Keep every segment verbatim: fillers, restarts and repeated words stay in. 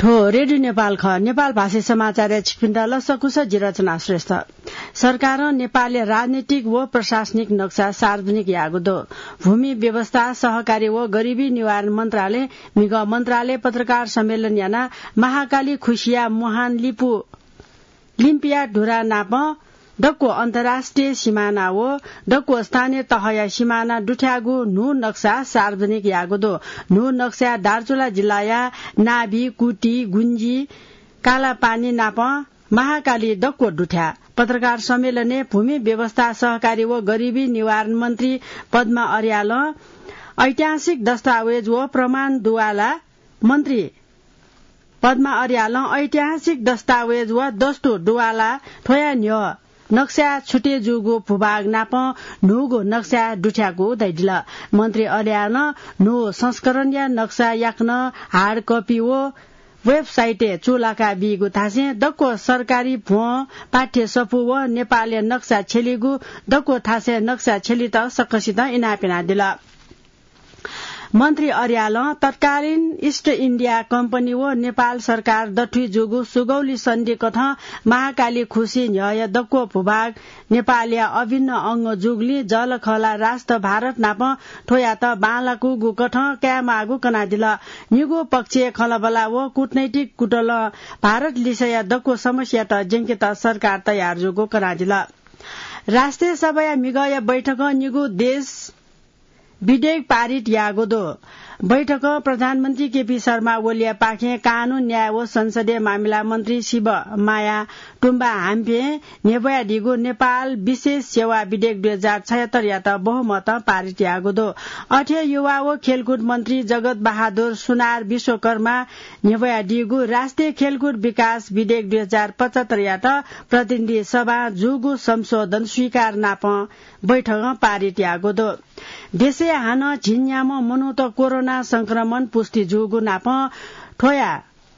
थ्व रेडियो नेपाल खः। नेपाल भाषी समाचारय् छिपिन्त लसकुस, जि रचना श्रेष्ठ। सरकारं नेपालया राजनीतिक व प्रशासनिक नक्सा सार्वजनिक याःगु दु। भूमि व्यवस्था, सहकारी व गरिबी निवारण मन्त्रालय म्हिगः मन्त्रालय पत्रकार सम्मेलन यानाः महाकाली खुसिया मुहान लिपु लिम्पिया धुरा नाप दक्व अन्तर्राष्ट्रिय सिमाना व दक्व स्थानीय तहया सिमाना दुथ्याःगु न्हू नक्सा सार्वजनिक याःगु दु। न्हू नक्साय् दार्चुला जिल्लाया नाभी, कुटी, गुन्जी, कालापानी नाप महाकाली दक्व दुथ्याः। पत्रकार सम्मेलनय् भूमि व्यवस्था, सहकारी व गरिबी निवारण मन्त्री पद्मा अर्यालं ऐतिहासिक दस्तावेज व प्रमाण दुवाला मन्त्री पद्मा अर्यालं ऐतिहासिक दस्तावेज व दस्तुर दुवाला थ्वया न्ह्यः नक्साय् छुटे जूगु भूभाग नाप न्हूगु नक्सा दुथ्याःगु धयादिल। मन्त्री अर्यालं न्हू संस्करणया नक्सा याकनं hard copy व वेबसाइटय् चूलाका बीगु थासें दक्व सरकारी भ्वं, पाठ्य सफू व नेपालया नक्सा छ्यलीगु दक्व थासय् नक्सा छ्यलीत सकसितं इनाप यानादिल। मन्त्री अर्यालं तत्कालीन इस्ट इन्डिया कम्पनी व नेपाल सरकार दथुइ जूगु सुगौली सन्धिकथं महाकाली खुसी न्ह्यःया दक्व भूभाग नेपालया अभिन्न अंग जूगुलिं जःलाखःला राष्ट्र भारत नाप थ्वयात बांलाकूगु कथं कायेमाःगु कनादिल। निगू पक्षय् खँल्हाबल्हा व कूटनैतिक कुतलं भारत लिसेया दक्व समस्यात ज्यंकेत सरकार तयार जूगु कनादिल। राष्ट्रिय सभाया म्हिगःया बैठकं निगू देश विधेयक पारित याःगु दु। बैठकं प्रधानमन्त्री केपी शर्मा ओलीया पाखें कानून, न्याय व संसदीय मामिला मन्त्री शिवमाया तुम्बा हाम्फें न्ह्यब्वयादीगु नेपाल विशेष सेवा विधेयक दुई हजार छयत्तर यात बहुमतं पारित याःगु दु। अथे युवा व खेलकुद मन्त्री जगत बहादुर सुनार विश्वकर्मा न्ह्यब्वयादीगु राष्ट्रिय खेलकुद विकास विधेयक दुई हजार पचहत्तर यात प्रतिनिधि सभां जूगु संशोधन स्वीकार नापं बैठकं पारित याःगु दु। देशय् हानं झिंन्याम्ह मनूत कोरोना संक्रमण पुष्टि जूगु नापं थ्वया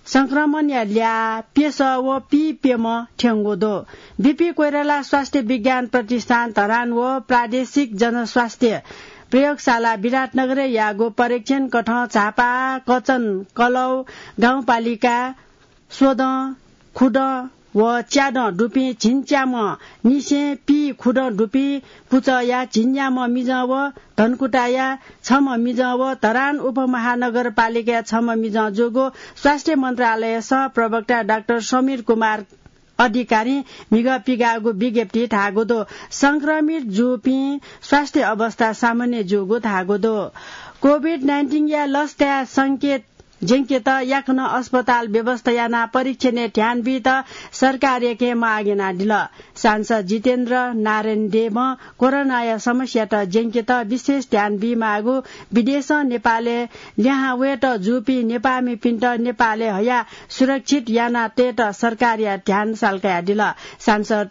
संक्रमणया ल्याः प्यसः व पीप्यम्ह थ्यंगु दु। बीपी कोइराला स्वास्थ्य विज्ञान प्रतिष्ठान धरान व प्रादेशिक जनस्वास्थ्य प्रयोगशाला विराटनगरय् याःगु परीक्षण कथं झापा, कचन, कलौ गाउँपालिका स्वदँ, खुदँ व च्यादँ दुपिं झिंच्याम्ह निसें पीखुदँ दुपिं पुचःया झिंन्याम्ह मिजं व धनकुटाया छम्ह मिजं व धरान उपमहानगरपालिकाया छम्ह मिजं जूगु स्वास्थ्य मन्त्रालय सहप्रवक्ता डाक्टर समीर कुमार अधिकारीं म्हिगः पिगाःगु विज्ञप्तिइ धाःगु दु। संक्रमित जूपिं स्वास्थ्य अवस्था सामान्य जूगु धाःगु दु। कोभिड नाइन्टिनया लस काये संकेत ज्यंकेत याकनं अस्पताल व्यवस्था यानाः परीक्षणय् ध्यान बीत सरकारयाके माग यानादिल। सांसद जितेन्द्र नारायण देवं कोरोनाया समस्यात ज्यंकेत विशेष ध्यान बीमाःगु, विदेशं नेपालय् लिहां वयेत जूपिं नेपाःमिपिन्त नेपालय् हयाः सुरक्षित याना तयेत सरकारया ध्यान सालकयादिल। सांसद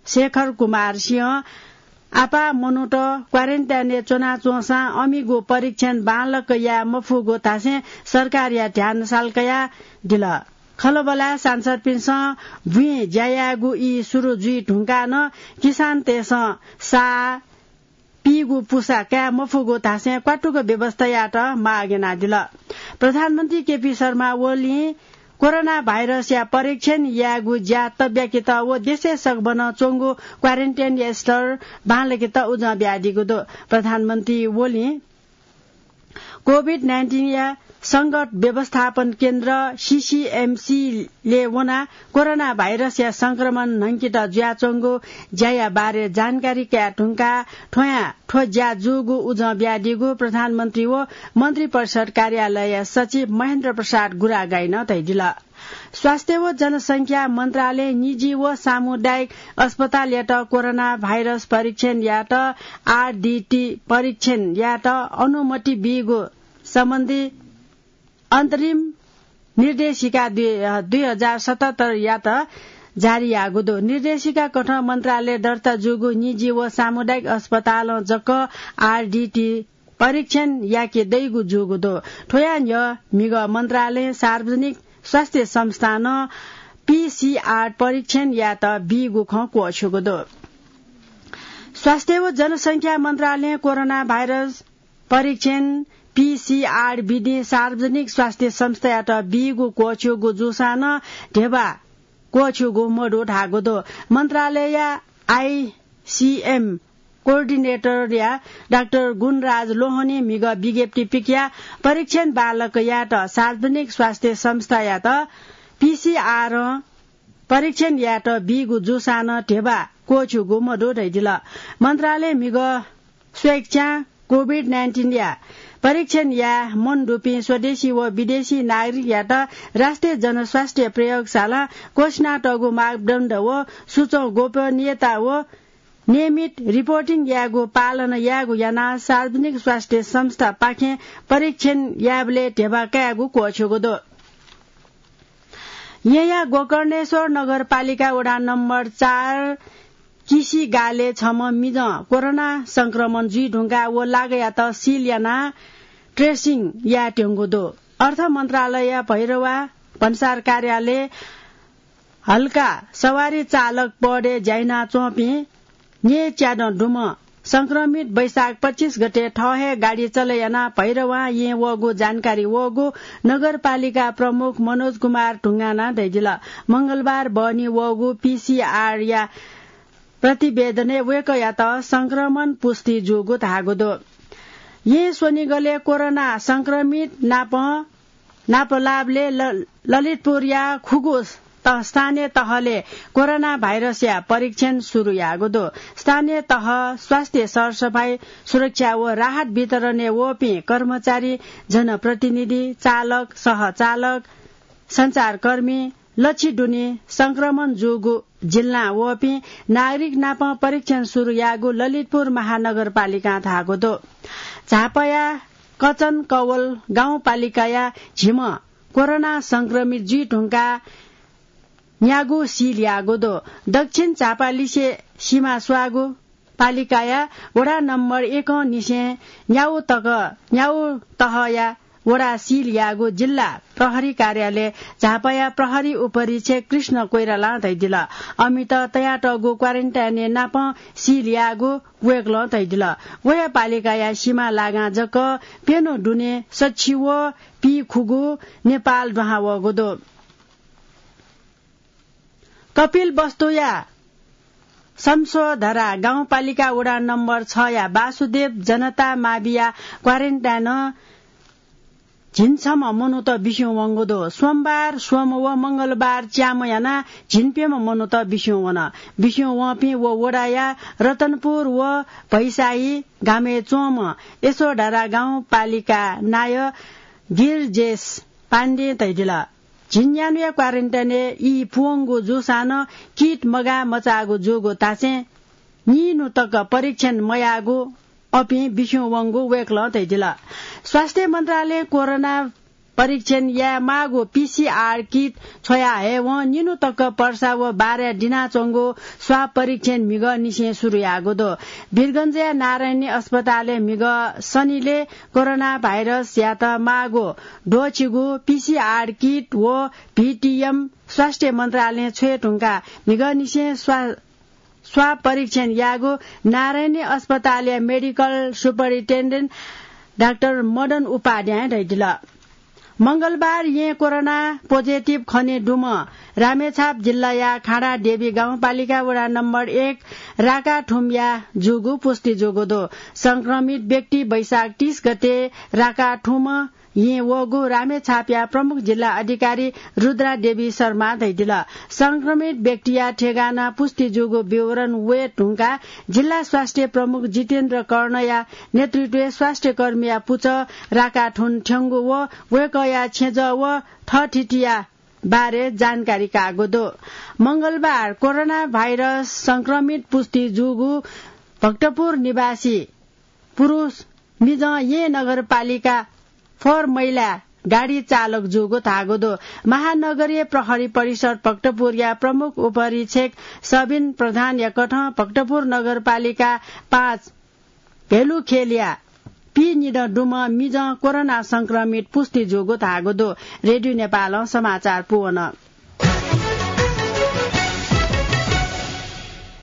शेखर कुमार सिंहं आपाः मनूत क्वारेन्टाइनय् च्वनाच्वंसां अमिगु परीक्षण बांलाक याये मफुगु धासें सरकारया ध्यान सालकयादिल। खँल्हाबल्हाय् सांसदपिन्सं बुँइ ज्या यायेगु ई सुरु जुइ धुंकाः नं किसानतय्सं साः पीगु पुसा काये मफुगु धासें क्वातुक व्यवस्था यायेत माग यानादिल। प्रधानमन्त्री केपी शर्मा ओलीं कोरोना भाइरसया परीक्षण यायेगु ज्या तब्याकेत व देशय् सकभनं च्वंगु क्वारेन्टाइनया स्तर बांलाकेत उजं बियादीगु दु। प्रधानमन्त्री ओलीं कोभिड नाइन्टिनया संकट व्यवस्थापन केन्द्र, सीसीएमसीलय् वनाः कोरोना भाइरसया संक्रमण न्हंकेत जुयाच्वंगु ज्याया बारे जानकारी कयाः धुंकाः थ्वयां थ्व ज्या जूगु उजं बियादीगु प्रधानमन्त्री व मन्त्रिपरिषद कार्यालयया सचिव महेन्द्र प्रसाद गुरागाईं धयादिल। स्वास्थ्य व जनसंख्या मन्त्रालयं निजी व सामुदायिक अस्पतालयात कोरोना भाइरस परीक्षण यायेत, आरडीटी परीक्षण यायेत अनुमति बीगु सम्बन्धी अन्तरिम निर्देशिका दुई, दुई हजार सतहत्तर यात जारी याःगु दु। निर्देशिका कथं मन्त्रालय दर्ता जूगु निजी व सामुदायिक अस्पतालं जक आरडीटी परीक्षण याके दइगु जूगु दु। थ्वया न्ह्यः म्हिगः मन्त्रालयं सार्वजनिक स्वास्थ्य संस्थानं पीसीआर परीक्षण यायेत बीगु खँ क्वःछ्यूगु दु। स्वास्थ्य व जनसंख्या मन्त्रालयं कोरोना भाइरस परीक्षण पीसीआर विधि सार्वजनिक स्वास्थ्य संस्थायात बीगु क्वःछ्यूगु जूसां नं ध्यबा क्वःछ्यूगु मदु धाःगु दु। मन्त्रालयया आईसीएम कोअर्डिनेटरया डाक्टर गुणराज लोहनी म्हिगः विज्ञप्ति पिकया परीक्षण बालक यायेत सार्वजनिक स्वास्थ्य संस्थायात पीसीआर परीक्षण यायेत बीगु जूसां नं ध्यबा क्वःछ्यूगु मदु धयादिल। मन्त्रालय म्हिगः स्वेच्छां कोभिड नाइन्टिनया परीक्षण याये मन दुपिं स्वदेशी व विदेशी नागरिकयात राष्ट्रिय जनस्वास्थ्य प्रयोगशालां घोषणा तःगु मापदण्ड व सूचं गोपनीयता व नियमित रिपोर्टिङ यायेगु पालन यायेगु यानाः सार्वजनिक स्वास्थ्य संस्थापाखें परीक्षण यायेबलय् ध्यबा कायेगु क्वःछ्यूगु दु। येँया गोकर्णेश्वर नगरपालिका वडा नम्बर चार किसी गालय् छम्ह मिजं कोरोना संक्रमण जुइ धुंकाः व लागःयात सिल यानाः ट्रेसिङ यायेत्यंगु दु। अर्थ मन्त्रालय भैरवा भन्सार कार्यालय हल्का सवारी चालक पदय् ज्या यानाच्वंपिं न्यय्‌च्यादँ दुम्ह संक्रमित वैशाख पच्चिस गते थः हे गाडी चले यानाः भैरवां येँ वःगु जानकारी वःगु नगरपालिका प्रमुख मनोज कुमार ढुङ्गानां धयादिल। मंगलबार बहनी वःगु पीसीआरया प्रतिवेदनय् वय्‌कःयात संक्रमण पुष्टि जूगु धाःगु दु। येँ स्वनिगलय् कोरोना संक्रमित नाप नापलाःबलय् ल-, ललितपुरया खुगू त-, स्थानीय तहलय् कोरोना भाइरसया परीक्षण सुरु याःगु दु। स्थानीय तह, स्वास्थ्य सरसफाई, सुरक्षा व राहत वितरणय् वःपिं कर्मचारी, जनप्रतिनिधि, चालक, सहचालक, सञ्चारकर्मी, लच्छि दुने संक्रमण जूगु जिल्लां वःपिं नागरिक नाप परीक्षण सुरु याःगु ललितपुर महानगरपालिकां धाःगु दु। झापाया कचन कवल गाउँपालिकाया झिम्ह कोरोना संक्रमित जुइ धुंकाः न्यागू सिल याःगु दु। दक्षिण झापालिसे सिमा स्वाःगु पालिकाया वडा नम्बर एकं निसें न्यागू तक, न्यागू तहया वडा सिल याःगु जिल्ला प्रहरी कार्यालय झापाया प्रहरी उपरीक्षक कृष्ण कोइरालां धयादिल। अमित तयातःगु क्वारेन्टाइनय् नाप सिल याःगु वय्‌कलं धयादिल। वया पालिकाया सिमा लागां जक प्यन्हु दुने सच्छि व पीखुगू नेपाल दुहां वःगु दु। कपिलवस्तुया शमशोधरा गाउँपालिका वडा नम्बर छया वासुदेव जनता माविया क्वारेन्टाइनं झिंछम्ह मनूत बिस्युं वंगु दु। सोमबार, सोम व मंगलबार च्याम्ह यानाः झिंप्यम्ह मनूत बिस्युं वन। बिस्युं वंपिं व वडाया रतनपुर व भैसाही गामय् च्वंम्ह यशोधरा गाउँपालिका नायः गिरिजेश पाण्डें धयादिल। झिंन्यान्हुया क्वारेन्टाइनय् ई पूवंगु जूसां नं किट मगाः मचाःगु जूगु धासें निन्हु तक परीक्षण मयाःगु अपिं बिस्युं वंगु वय्‌कलं धयादिल। स्वास्थ्य मन्त्रालयं कोरोना परीक्षण यायेमाःगु पीसीआर किट छ्वया हयेवं निन्हु तक पर्सा व बाराय् दिनाच्वंगु स्वाब परीक्षण म्हिगः निसें सुरु याःगु दु। वीरगञ्जया नारायणी अस्पतालय् म्हिगः सनिलय् कोरोना भाइरसयात माःगु द्वःछिगु पीसीआर किट व भीटीएम स्वास्थ्य मन्त्रालयं छ्वये धुंकाः म्हिगः निसें स्वा-, स्वाब परीक्षण याःगु नारायणी अस्पतालया मेडिकल सुपरिन्टेन्डेन्ट डाक्टर मदन उपाध्यायं धयादिल। मंगलबार येँ कोरोना पोजिटिभ खने दुम्ह रामेछाप जिल्लाया खाँडादेवी गाउँपालिका वडा नम्बर एक राकाठुमया जूगु पुष्टि जूगु दु। संक्रमित व्यक्ति वैशाख तीस गते राकाठुम येँ वःगु रामेछापया प्रमुख जिल्ला अधिकारी रुद्रा देवी शर्मां धयादिल। संक्रमित व्यक्तिया ठेगाना पुष्टि जूगु विवरण वये धुंकाः जिल्ला स्वास्थ्य प्रमुख जितेन्द्र कर्णया नेतृत्वय् स्वास्थ्यकर्मीया पुचः राकाठुन थ्यंगु व वय्‌कःया छेँजः व थःथितिया बारे जानकारी काःगु दु। मंगलबार कोरोना भाइरस संक्रमित पुष्टि जूगु भक्तपुर निवासी पुरुष मिजं येँ नगरपालिका फोहोर मैला गाडी चालक जूगु धाःगु दु। महानगरीय प्रहरी परिषद भक्तपुरया प्रमुख उपरीक्षक सबिन प्रधानया कथं भक्तपुर नगरपालिका पाँच भेलुखेलया पीनिदँ दुम्ह मिजं कोरोना संक्रमित पुष्टि जूगु धाःगु दु। रेडियो नेपालं समाचार पूवन।